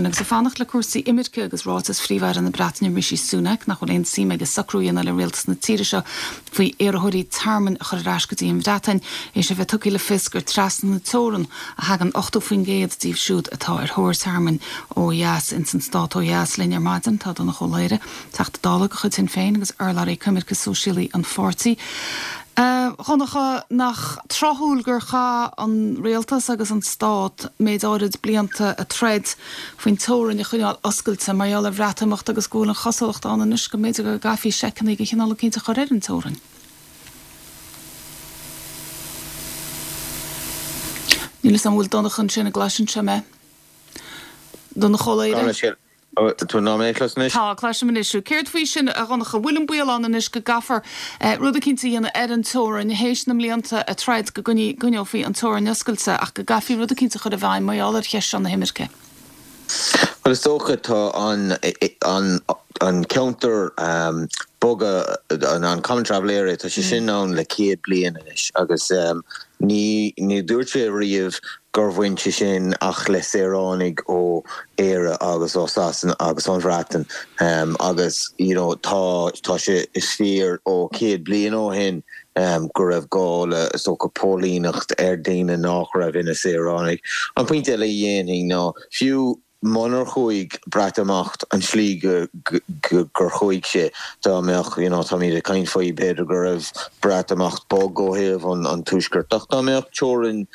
sin. Agus ag fanacht le cúrsaí imirce agus ráiteas Phríomh-Aire na Breataine Rishi Sunak nach bhfuil aon suim aige socrú a dhéanamh le rialtas na tíre seo faoi iarrthóirí tearmainn a chur ar ais go dtí an Bhreatain, théis a bheith tugtha le fios gur trasna na teorann a thagann 80% díobh siúd atá ar thóir tearmainn ó dheas ins an stát ó dheas. Linn ar maidin tá Donncha Ó Laoghaire, Teachta Dála de chuid Shinn Féin agus urlabhraí coimirce sóisialaí an pháirtí. A Dhonncha, nach tráthúil gur chaith an rialtas agus an stát méid áirid blianta ag troid faoin teorainn a choinneáil oscailte mar gheall ar Bhreatimeacht agus go bhfuil an chosúlacht ann anois go mb'fhéidir go gcaithfí seiceanna de chineál eicínt a chur ar an teorainn? Níl 'fhios a'm an bhfuil Donncha ansin, an gcloiseann sé mé? Donncha Ó Laoghaire? Tá tú mé a chlos anois? Tá, cloisim anois thú. Céard faoi sin, a Dhonncha? Bhfuil an baol ann anois go gcaithfear rud eicínt a dhéanamh ar an teorainn, théis na mblianta ag troid go gcoinneofaí an teorainn oscailte, ach go gcaithfí rud eicínt a chur i bhfeidhm mar gheall ar cheist seo na himirce? Bhuel, is dócha, tá an, an, an ceantar boga, an Common Travel Area, tá sé sin ann le 100 bliain anois agus ní, ní dúirt sé riamh gur bhain sé sin ach le saoránaigh ó Éire agus ó Sasana agus ón Bhreatain agus you know tá tá sé is fíor ó 100 bliain ó shin go raibh gá le is dócha póilíneacht ar daoine nách raibh ina saoránaigh. An pointe eile a dhéanfainn ná fiú munar chuaigh Breatimeacht an tslí gur chuaigh sé, dá mbeadh, you know, táimid ag caint faoi, b'fhéidir go raibh Breatimeacht bog ó thaobh an tuaiscirt, ach dá mbeadh teorainn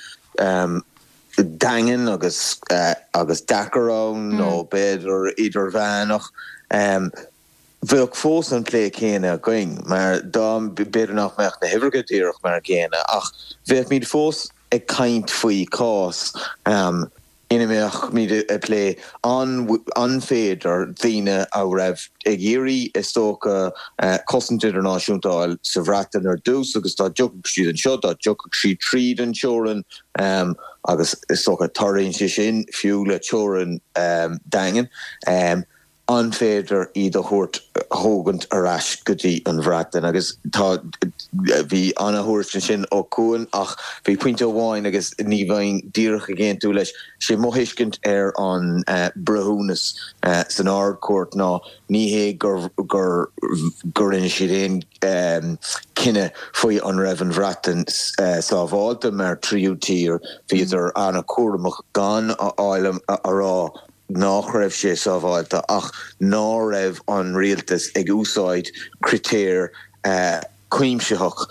daingean agus agus deacair ann nó b'fhéidir idirmheánach, bheadh fós an plé céanna againn, mar dá, b'fhéidir nach mbeadh na huimhreacha díreach mar an gcéanna, ach bheadh fós ag caint faoi chás ina mbeimid ag plé an féidir daoine a raibh ag iarraidh, is dócha, cosaint idirnáisiúnta a fháil sa Bhreatain ar dtús agus dá dtiocfadh siad anseo, dá dtiocfadh siad tríd an teorainn agus is dócha tarlaíonn sé sin fiú le teorainn daingean. an féidir iad a thabhairt, a thógaint ar ais go dtí an Bhreatain? Agus tá, bhí ana-thuairisc ansin ó Cuan ach bhí pointe amháin agus ní bheinn díreach ag aontú leis. Sé mo thuiscint ar an breithiúnas san Ard-Chúirt ná ní hé gur, gur, gur rinne siad aon cinneadh faoi an raibh an Bhreatain sábháilte mar tríú tír, bhíodar ana-chúramach gan a fháil a rá nach raibh sé sábháilte ach ná raibh an rialtas ag úsáid critéir cuimsitheach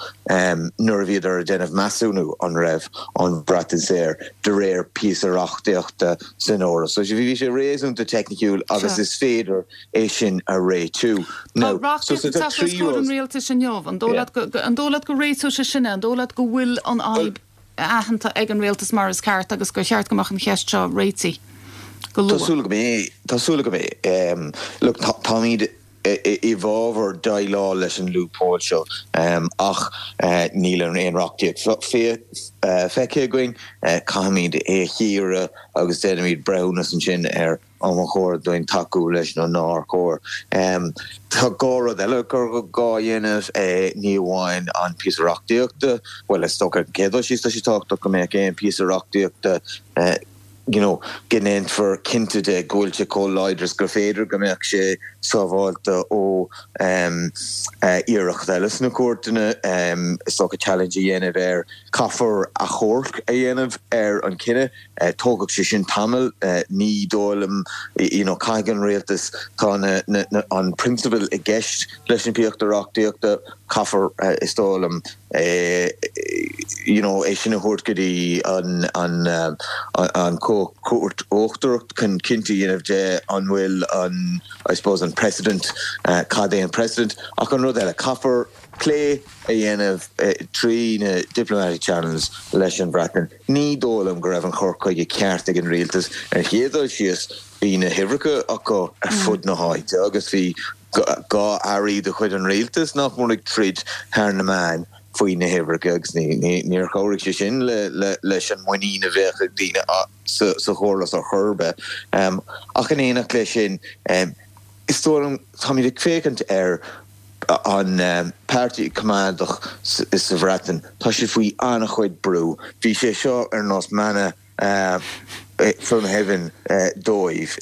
nuair a bhíodar ag déanamh measúnú an raibh an Bhreatain saor de réir píosa reachtaíochta san Eoraip. So bhí sé réasúnta teicniciúil agus is féidir é sin a réitiú. Tá reachtaíocht ag teacht os comhair an rialtais inniu. An dóigh leat go réiteoidh sé sin é? An dóigh leat go bhfuil an fhadhb aitheanta ag an rialtas mar is ceart agus gur cheart go mbeadh an cheist seo réitithe go luath. Tá súil agam é. Tá súil agam é. Look, táimid i bhfabhar déileáil leis an loophole seo ach níl aon reachtaíocht feicthe againn. Caithfimid é a chíoradh agus déanfaimid breithiúnas ansin ar an mba chóir dúinn tacú leis nó nár chóir. Tá dhá rud eile gur gá a dhéanamh, ní amháin an píosa reachtaíochta, bhuel is dócha ar an gcéad dul síos tá sé tábhachtach go mbeadh aon phíosa reachtaíochta you know go ndéanfar cinnte de go bhfuil sé chomh láidir is gur féidir, go mbeadh sé sábháilte ó iarracht eile sna cúirteanna, is dócha challenge a dhéanamh air. Caithfear achomharc a dhéanamh ar an chinneadh. Tógfaidh sé sin tamall. Ní dóigh liom, you know, caithfidh an rialtas, tá na, na, na, an prionsabal i gceist leis an phíosa reachtaíochta, caithfear, is dóigh liom, you know, é sin a thabhairt go dtí an, an, an Chúirt Uachtarach chun cinnte a dhéanamh de an bhfuil an, I suppose, an precedent, cad é an precedent. Ach an rud eile, caithfear plé a dhéanamh trí na diplomatic channels leis an Bhreatain. Ní dóigh liom go raibh an cur chuige ceart ag an rialtas. Ar an chéad dul síos, bhí na huimhreacha acu ar fud na háite agus bhí dhá airí de chuid an rialtais nach mór ag troid thar na meáin faoi na huimhreacha agus níor chabhraigh sé sin leis an muinín a bheadh ag daoine sa chóras ar chor ar bith. Ach in éineacht leis sin, is dóigh liom, táimid ag féachaint ar an Páirtí Coimeádach sa Bhreatain, tá siad faoi an-chuid brú. Bhí sé seo ar nós mana. From heaven dóibh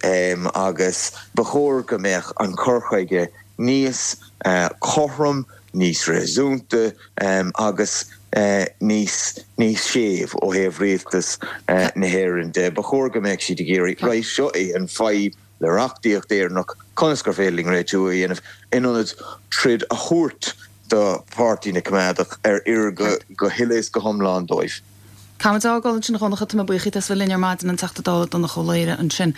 agus ba chóir go mbeadh an cur chuige níos cothrom, níos réasúnta agus níos níos séimh ó thaobh rialtas na hÉireann de. Ba chóir go mbeadh siad ag iarraidh, right, seo í an fadhb le reachtaíocht Éireannach, conas gur féidir linn réitiú a dhéanamh in ionad troid a thabhairt do Pháirtí na Coimeádach ar oir go huile is go hiomlán dóibh. Caithfimid fágáil ansin a Dhonncha, tá mé buíoch díot as bheith linn ar maidin, an Teachta Dála Donncha Ó Laoghaire ansin.